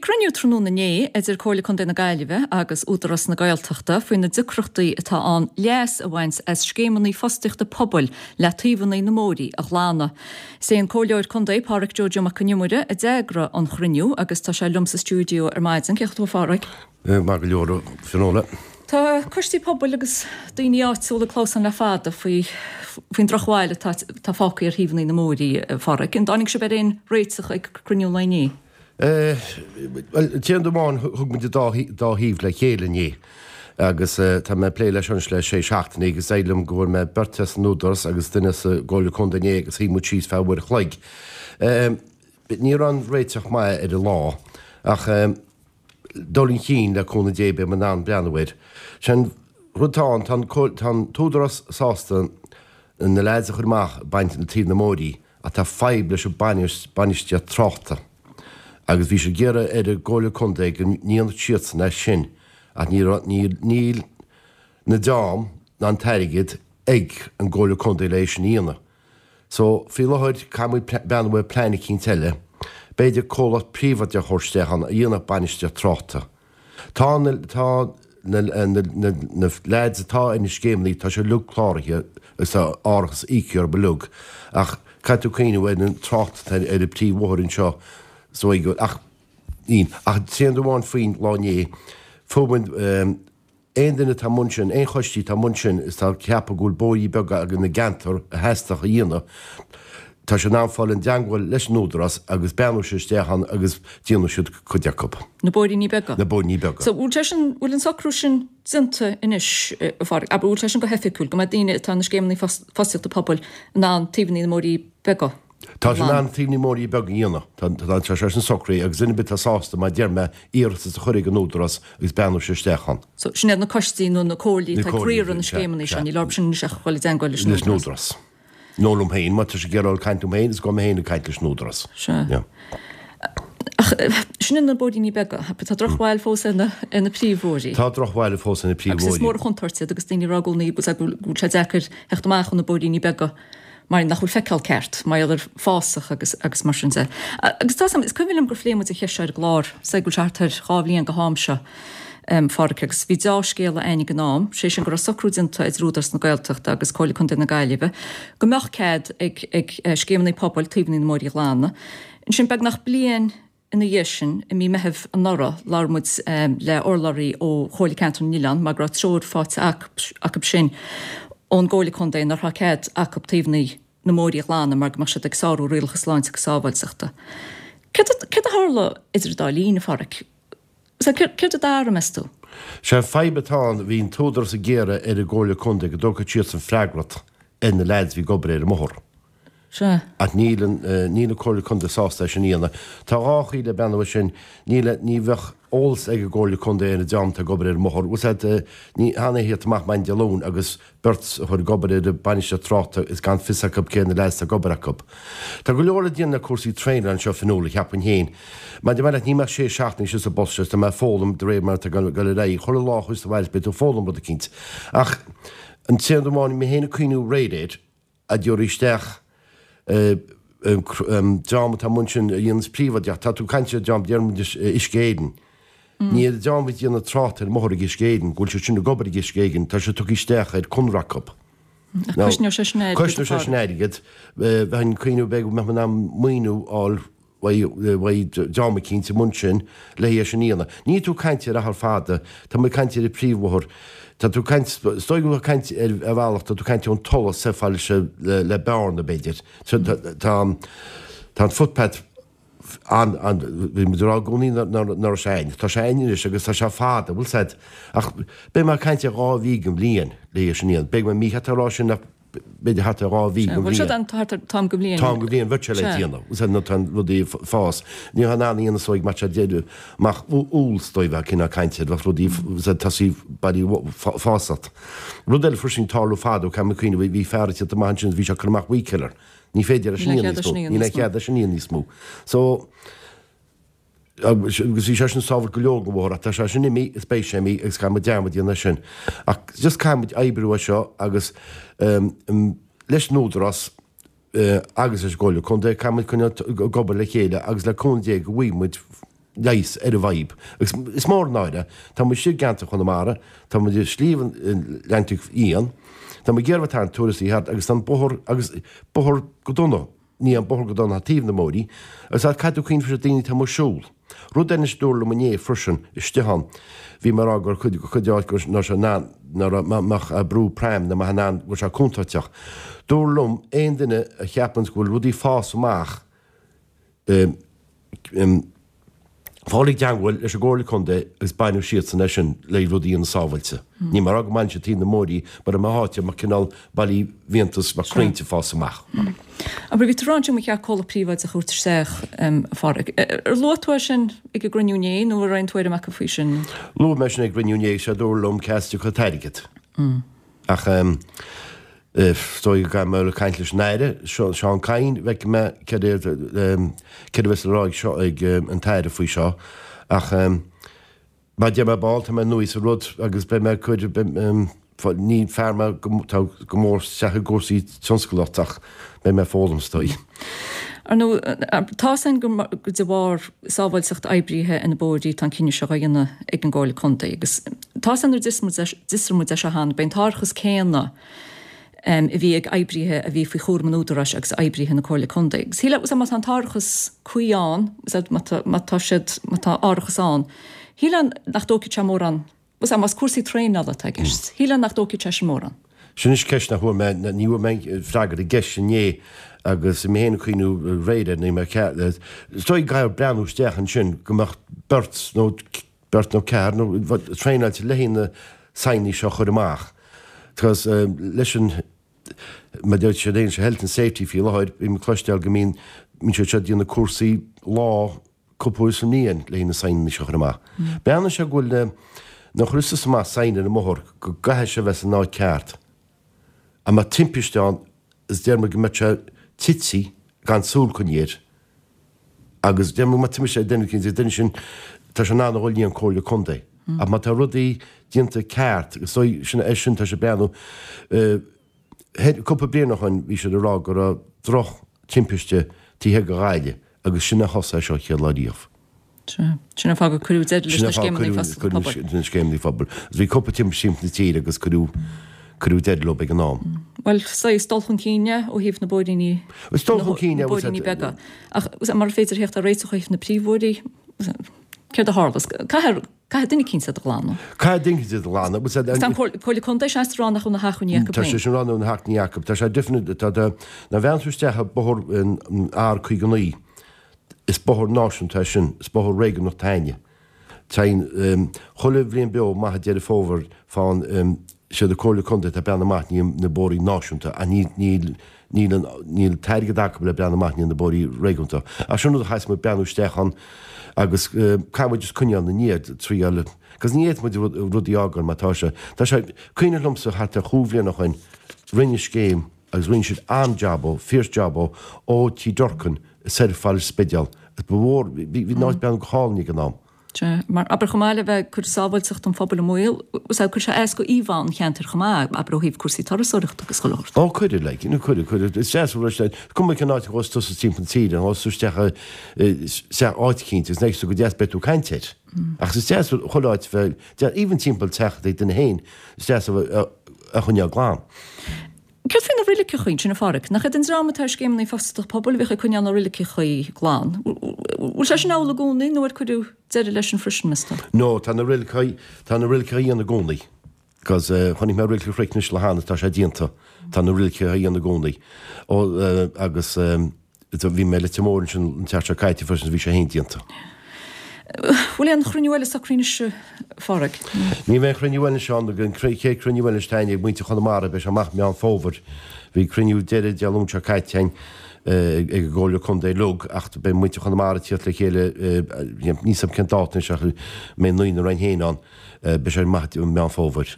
cruinniú tráthnóna inné idir Comhairle Contae na Gaillimhe agus Údarás na Gaeltachta faoi na deacrachtaí atá ann leas a bhaint as scéimeanna fostaíochta pobail le taobhanna na mbóithrí a ghlanadh. Is é an Comhairleoir Contae Pádhraic Joe Joe Mac Con Iomaire a d'eagraigh an chruinniú agus tá sé liom sa stiúideo ar maidin. Cén chaoi atá tú a Phádhraic? Maith go leor, a Fionnuala. Tá coistí pobail agus daoine áitiúla ag clamhsán le fada faoi faoin drochbhail atá atá fágtha ar thaobhanna na mbóithrí, a Phádhraic. An dtáinig sibh ar aon réiteach ag cruinniú an lae inné? Bhuel, d'aon amháin, thug muid an dá dá thaobh le chéile inné agus tá mé ag plé leis anois le sé seachtainí agus éirigh liom go bhfuair mé beirt as an Údarás agus duine as an gComhairle Contae inné agus shuigh muid síos feadh uair a chloig. Ní raibh an réiteach maith ar an lá ach dul chun cinn, le cúnamh Dé, beidh muid in ann breathnú air. Sé'n rud atá ann, tá an, tá an t-údarás sásta na leaids a chur amach ag baint na taobh na mbóithrí ach tá fadhb leis an bainistíocht tráchta agus bhí siad ag iarraidh ar an gComhairle Contae go ndéanfadh siadsan é sin ach ní raibh, níl, níl na dream ná an t-airgead ag an gComhairle Contae le é sin a dhéanamh. So, faoi láthair, caithfidh muid breathnú ar plean eicínt eile. B'fhéidir comhlacht príobháideach a thabhairt isteach ann a dhéanfadh bainistíocht tráchta. Tá na, tá na, na, na, na leaids atá ar na scéimeanna, tá siad uilig cláraithe agus tá árachas íoctha orthu uilig ach caithfidh tú cuimhneamh ar an trácht atá ar an príomhbhóthar anseo so ach, ach tréan amháin faoin lá inné, fuair muid, Aon duine atá i mbun sin, aon choistí atá i mbun sin is atá ag ceapadh go bhfuil bóithrí beaga ina gceantar a theastódh a dhéanamh, tá siad in ann fáil i dteangmháil leis an Údarás agus breathnóidh siad isteach ann agus déanfaidh siad cuid acu. Na bóithríní beaga? Na bóithríní beaga. So bhfuil sé sin, bhfuil an socrú sin déanta anois, a Pháraic, abair, bhfuil sé sin go hoifigiúil, go mbeidh daoine atá ina scéimeanna fostaíochta pobail in ann taobhanna na mbóithrí beaga? Tá sé in ann taobh na mbóithrí beaga a dhéanamh. Tá sé sin socraithe agus duine ar bith atá sásta, mar a deir mé, iarratas a chur ag an Údarás agus breathnóidh siad isteach ann. So, sin iad na coistí nó na comhairlí atá ag riaradh na scéimeanna seo, níl orthu sin anois ach dhul i dteangmháil leis an Údarás. Leis an Údarás. Nó liom féin, má tá siad ag iarraidh dul ag caint liom féin, is gabhfaidh mé féin ag caint leis an Údarás. Sea. Ach sin iad na bóithríní beaga. Tá drochbhail fós ar na príomhbhóithrí. Tá drochbhail fós ar na príomhbhóithrí. Agus is mór an chontúirt iad agus daoine ag rá i gcónaí go bhfuil sé deacair theacht amach ó na bóithríní beaga mar nach bhfuil feiceáil ceart, mar gheall ar fásach agus agus mar sin de. Agus tá is cuimhin liom gur phléigh muid an cheist seo ar an gclár, is dóigh go bhfuil sé thart ar 2 bhliain go ham seo, a Pháraic, agus bhí deá-scéala againn ag an am, sé sin go raibh socrú déanta idir Údarás na Gaeltachta agus Comhairle Contae na Gaillimhe go mbeadh cead ag ag scéimeanna pobail taobhanna na mbóithrí a ghlanadh. Ansin beagnach bliain Ina dhiaidh sin, i mí Meithimh anuraidh, labhair muid le urlabhraí ó Chomhairle Ceantar na nOileán mar go raibh treoir faighte acu sin ón gComhairle Contae nach raibh cead acu taobhanna na mbóithrí a ghlanadh mar go mbeadh siad ag sárú rialacha sláinte agus sábháilteachta. Céard a tharla idir an dá linn, a Pháraic? Céard a d'athraigh, meas tú? Sé an fadhb atá ann, bhí an t-údarás ag iarraidh ar an gComhairle Contae go dtógfadh siadsan freagracht ar na leaids a bhí ag obair ar an mbóthar. Sea. Ach níl an, níl an Comhairle Contae sásta é sin a dhéanamh. Tá dhá chaoi le breathnú air sin, níl, ní bheadh eolas ag an gComhairle Contae ar an dream atá ag obair ar an mbóthar. Bhfuil 's a'd, ní han é theacht amach maidin Dé Luain agus beirt a chur ag obair ar an bainistíocht tráchta is gan fios acu cé na leaids atá ag obair acu. Tá go leor le déanamh le cúrsaí traenála anseo Fionnuala, cheapfainn féin. Mar deir mé leat, níl mé ach sé seachtainí sa bpost seo is tá mé ag foghlaim de réir mar atá ag dul ar aghaidh. Chuile lá a chuas abhaile beidh tú ag foghlaim rud eicínt. Ach an t-aon rud amháin, mé féin ag cuimhniú aréir air, a dtabharfaí isteach an dream atá amuigh ansin a dhéanas príobháideach. Tá tú ag caint ar dream, déarfaidh muid Uisce Éireann. Ní ar an dream a dhéanann trácht ar an mbóthar ag Uisce Éireann, go bhfuil siad sin ag obair ag Uisce Éireann, tá siad tugtha isteach ar conradh acu. Cosnóidh sé sin airgead. Cosnóidh sé sin airgead. Bheinn ag cuimhneamh b'fhéidir go mbeadh in ann maoiniú a fháil uaidh dream eicínt i mbun sin le é sin a dhéanamh. Níl tú ag caint ar achar fada, tá muid ag caint ar an príomhbhóthar, tá tú ag caint, is dóigh go bhfuil tú ag caint ar bhealach, tá tú ag caint ón Tulach soir fad le le Bearna b'fhéidir. Tá tá an footpath an an bhí muid ag rá i gcónaí nach raibh sé ann, tá sé ann anois agus tá sé fada, bhfuil 's a'd, ach beidh mé ag caint ar 2 mhí den bhliain le é sin a dhéanamh. Beidh mé mícheart a rá sin ach b'fhéidir thart ar 2 mhí den bhliain. Bhuel, thart ar t-am den bhliain. T-am den bhliain, bheadh sé le déanamh. Is nó tá rudaí ag fás. Ní bheadh in ann a dhéanamh is dóigh mar deireadh amach Iúil is dóigh bheadh cineál cainte air, bheadh rudaí tosaí bailí fásat. Rud eile freisin tarlú fadó, caithfidh mé cuimhneamh, bhí fear ag tíocht amach ansin bhí sé ag cur amach weed killer. Ní féidir leis sin a dhéanamh níos mó. Níl aon chead leis sin a dhéanamh níos mó. So, Agus bhí sé sin sábháilt go leor den bhóthar ach tá sé sin imithe is beidh sé imithe agus caithfidh muid dearmad a dhéanamh air sin. Ach just caithfidh muid oibriú air seo agus leis an Údarás agus leis an gComhairle Contae caithfidh muid coinneáil ag obair le chéile agus le cúnamh Dé go bhfaighidh muid. leigheas ar an bhfadhb. Agus is mór an náire, tá muid istigh i gceantar Chonamara, tá muid i Sliabh an Leantaigh Fhiáin, tá muid ag iarraidh tarraingt turasóirí thart agus tá an bóthar agus bóthar go dona, ní an bóthar go dona thar taobh na mbóithrí, agus tá caithfidh tú cuimhneamh freisin daoine atá amuigh ag siúl. Rud eile anois dúradh liom inné freisin istigh ann, bhí mé ag rá gur cuid cuid áit go raibh sé in ann, ná raibh mbeadh brú pram na mbeadh in ann go raibh sé contúirteach. Dúradh liom aon duine a cheapanns go bhfuil rudaí ag fás amach Fáil i dteangmháil leis an gComhairle Contae agus bainfidh siadsan é sin le rudaí a dhéanamh sábhailte. Níl mé ag rá go mbaineann siad taobh na mbóithrí mar i mo áit mar cineál ballaí bhfiántas mar crainnte ag fás amach. Abair, bhí tú ag rá ansin ba cheart comhlacht príobháideach a thabhairt isteach, a Phádraig. Ar luaigh tú é sin ag an gcruinniú inné nó an raibh aon tuairim acu faoi sin? Luaigh mé sin ag an gcruinniú inné agus sé a dúradh liom cá as a dtiocfadh an t-airgead. Ach is dóigh go gcaithfidh mé dul ag caint leis an Aire, Seán Kyne, feicfidh mé céard é céard a bheas le rá ag seo ag an tAire faoi seo. Ach mar a deir mé ball, tá mé nua sa rud agus beidh mé ag cur, ní fear mé atá go mór isteach i gcúrsaí tionsclaíochta ach beidh mé ag foghlaim is dóigh. Ar ndóigh, tá 'fhios a'inn gur de bharr sábháilteacht oibrithe ar na bóithrí atá an cinneadh seo á dhéanamh ag an gComhairle Contae agus tá 'fhios a'inn nuair a d'fhiosraigh muid é seo cheana, b'é an t-árachas céanna a bhí ag oibrithe a bhí faoi chúram an Údaráis agus oibrithe na Comhairle Contae. Agus shílfeá, má tá an t-árachas cuí ann, má tá siad, má tá árachas ann, shílfeá nach dtógfaidh sé mórán Sea, más cúrsaí traenála atá i gceist, shílfeá nach dtógfaidh sé sin mórán. Sin anois ceist nach bhfuair mé, ní bhfuair mé freagra ar an gceist sin inné agus mé féin ag cuimhniú aréir air, ní mé ceart, is dóigh go gcaithfear breathnú isteach ansin go mbeadh beirt nó beirt nó ceathrar nó traenáilte le haghaidh na saighneanna seo a chur amach. Because leis an, mar a deir siad féin, health and safety faoi láthair, bím ag cloisteáil go mbíonn, mbíonn siad seo ag déanamh cúrsaí lá, cúpla uair sa mbliain le haghaidh na saighneanna seo a chur amach. Breathnaíonn sé go bhfuil na nuair a chuireas tusa amach sign ar an mbóthar go gcaithfidh sé bheith san áit ceart. Ach má timpiste ann is deir muid go mbeadh sé tite gan súil coinnithe air. Agus deir muid má timpiste ar duine éicint, an duine sin tá sé in ann a dhul go dtí an Comhairle Contae. Ach má tá rudaí déanta ceart agus sin é sin tá sé breathnú Cúpla bliain ó shoin bhí siad ag rá go raibh droch timpiste taobh thiar de Ghaillimh agus sin a thosaigh é seo an chéad lá riamh. Sea. Sin an fáth gur cuireadh deireadh leis na scéimeanna fostaíochta pobail. Na scéimeanna pobail. Agus bhí cúpla timpiste timpeall na tíre agus cuireadh cuireadh deireadh leo ag an am. Bhuel, saghas dul chun cinn é ó thaobh na bóithríní Is dul chun cinn é. na bóithríní beaga. Ach mura féidir theacht ar réiteach ó thaobh na príomhbhóithrí, céard a tharlas? Caithfear Caithfidh duine eicínt iad a ghlanadh. Caithfidh duine eicínt iad a ghlanadh. Agus tá an Comhairle Contae seasta ag rá nach bhfuil na hacmhainní acu féin. Tá sé sin ag rá nach bhfuil na hacmhainní acu. Tá sé definite, tá, tá, nuair a bhreathnaíonn tú isteach ar bóthar an R59, is bóthar náisiúnta é sin, is bóthar réigiúnach atá againne. Téann chuile bhliain beo amach i Deireadh Fómhair fán, siad an Comhairle Contae atá ag breathnú amach i ndiaidh na bóithrí náisiúnta ach ní, níl, Níl an, níl an t-airgead acu le breathnú amach i ndiaidh na bóithrí réigiúnta. Ach sin rud a chaithfeas muid breathnú isteach ann agus caithfidh muid just coinneáil ina ndiaidh, triail, agus ní fhéadfaidh muid rudaí a fhágáil mar tá sé. Tá sé, cuimhneach liomsa thart ar chúig bhliana ó shoin, rinneadh scéim agus rinne siad an-jab ó, fierce job ó, ó Tí Durkan soir fad leis an Spidéal. Ba mhór, bhí, bhí an áit breathnú go hálainn ag an am. Sea, mar, abair, chomh maith le bheith ag cur sábháilteacht an phobail i mbaol, sea, cuirfidh sé as go íomhá an cheantair chomh maith, abair, ó thaobh cúrsaí turasóireachta agus chuile shórt. Ó, cuireadh, like, nó cuireadh, cuireadh. Is deas an rud é, cuma cén áit a ghabhfas tusa timpeall na tíre, ghabhfas tú isteach i, isteach áit eicínt agus an bhfeicfidh tú go deas beidh tú ag caint air. Ach is deas chuile áit a bheith, even timpeall teach ag duine féin, is deas a bheith, a choinneáil glan. Céard faoi na roiligeachaí ansin, a Phádraig? Nach iad an dream atá ar scéimeanna fostaíochta pobail a bhíodh ag coinneáil na roiligeachaí glan? Bhfuil sé sin amhlaidh i gcónaí nó ar cuireadh deireadh leis sin freisin, meas tú? No, tá na roiligeachaí, tá na roiligeachaí ann i gcónaí. Because chonaic mé roilig an Chnoic anois le hAnna, tá sé déanta. Tá na roiligeachaí ann i gcónaí. Ó, agus. Bhí mé i Leitir Móir ansin an tseachtain seo caite freisin is bhí sé féin déanta. Bhfuil aon chruinniú eile socraithe anois, a Phádraig? Ní bheidh aon chruinniú eile anois ann. An chéad chruinniú eile anois atá ag muintir Chonamara, beidh sé amach Meán Fómhair. Bhí cruinniú deiridh Dé Luain seo caite againn ag an gComhairle Contae uilig ach beidh muintir Chonamara ag tíocht le chéile, níl 'fhios a'm cén dáta anois ach mbeidh naoi na Roinn féin ann, beidh sé amach i Meán Fómhair.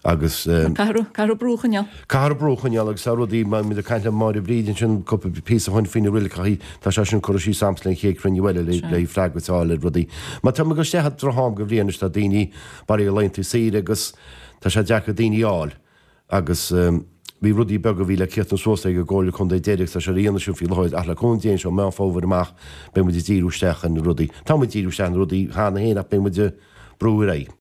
Agus. Caithfear brú a choinneáil. Caithfear brú a choinneáil agus tá rudaí, mar muid ag caint le Máire Bríd ansin cúpla píosa ó shin faoi na roiligeachaí, tá sé sin curtha síos a'msa le an chéad chruinniú eile le le freagairt a fháil ar rudaí. Mar tá muid ag dul isteach i droch-am go bhliain anois, tá daoine bailithe ar laethanta saoire agus tá sé deacair daoine a fháil agus. Bhí rudaí beaga a bhí le críochnú suas ag an gComhairle Contae deiridh agus tá sé á dhéanamh sin faoi láthair ach le cúnamh Dé anseo Meán Fómhair amach beidh muid ag díriú isteach ar na rudaí. Tá muid ag díriú isteach ar na rudaí cheana féin ach beidh muid ag brú ar aghaidh.